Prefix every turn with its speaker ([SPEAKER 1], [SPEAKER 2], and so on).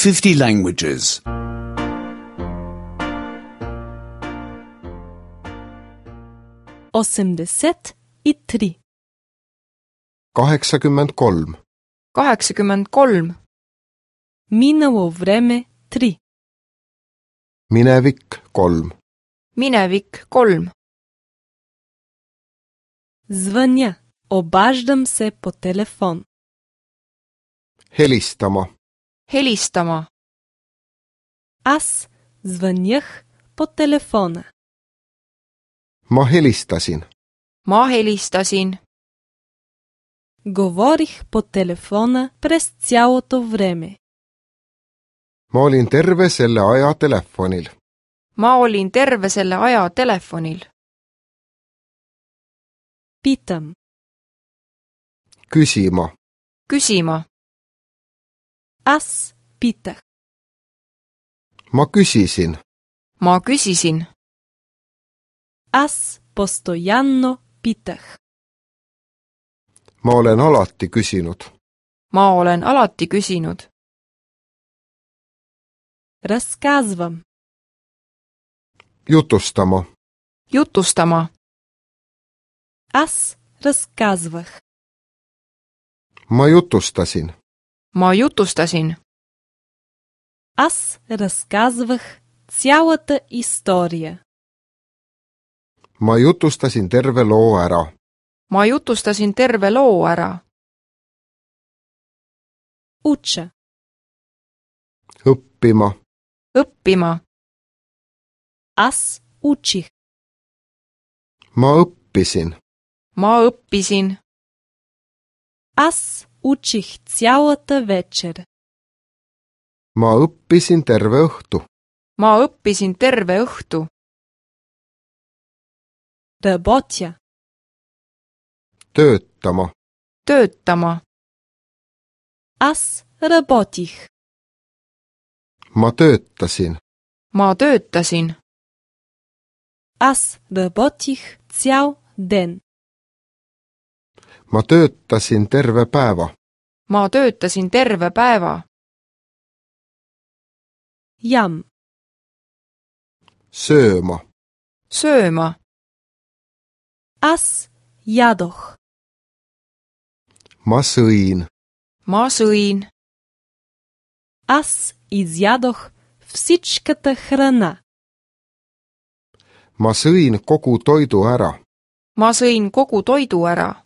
[SPEAKER 1] 50 languages.
[SPEAKER 2] 83.
[SPEAKER 3] 83.
[SPEAKER 4] 83.
[SPEAKER 2] Минало време 3.
[SPEAKER 3] Minevik 3.
[SPEAKER 4] Minevik 3.
[SPEAKER 2] Звъня. Обаждам се по телефон.
[SPEAKER 3] Helistama.
[SPEAKER 4] Helistama.
[SPEAKER 2] Аз звънях по телефона.
[SPEAKER 3] Ma helistasin.
[SPEAKER 4] Ma helistasin.
[SPEAKER 2] Говорих по телефона през цялото време.
[SPEAKER 3] Ma olin terve selle aja telefonil.
[SPEAKER 4] Ma olin terve selle aja telefonil.
[SPEAKER 2] Питам.
[SPEAKER 3] Küsima.
[SPEAKER 4] Küsima.
[SPEAKER 2] Аз питах.
[SPEAKER 3] Ma küsisin.
[SPEAKER 4] Ma küsisin.
[SPEAKER 2] Аз постоянно питах.
[SPEAKER 3] Ma olen alati küsinud.
[SPEAKER 4] Ma olen alati küsinud.
[SPEAKER 2] Разказвам.
[SPEAKER 3] Jutustama.
[SPEAKER 4] Jutustama.
[SPEAKER 2] Аз разказвах.
[SPEAKER 3] Ma jutustasin.
[SPEAKER 4] Ma jutustasin.
[SPEAKER 2] Аз разказвах цялата история.
[SPEAKER 3] Ma jutustasin terve loo ära.
[SPEAKER 4] Ma jutustasin terve loo ära.
[SPEAKER 2] Уча.
[SPEAKER 3] Õppima.
[SPEAKER 4] Õppima.
[SPEAKER 2] Аз учих.
[SPEAKER 3] Ma õppisin.
[SPEAKER 4] Ma õppisin.
[SPEAKER 2] Аз учих цялата вечер.
[SPEAKER 3] Ma õppisin terve õhtu.
[SPEAKER 4] Ma õppisin terve õhtu.
[SPEAKER 2] Работя.
[SPEAKER 3] Töötama.
[SPEAKER 4] Töötama.
[SPEAKER 2] Аз работих.
[SPEAKER 3] Ma töötasin.
[SPEAKER 4] Ma töötasin.
[SPEAKER 2] Аз работих цял ден.
[SPEAKER 3] Ma töötasin terve päeva.
[SPEAKER 4] Ma töötasin terve päeva.
[SPEAKER 2] Ям.
[SPEAKER 3] Sööma.
[SPEAKER 4] Sööma.
[SPEAKER 2] Аз ядох.
[SPEAKER 3] Ma sõin.
[SPEAKER 4] Ma sõin.
[SPEAKER 2] Аз изядох всичката храна.
[SPEAKER 3] Ma sõin kogu toidu ära.
[SPEAKER 4] Ma sõin kogu toidu ära.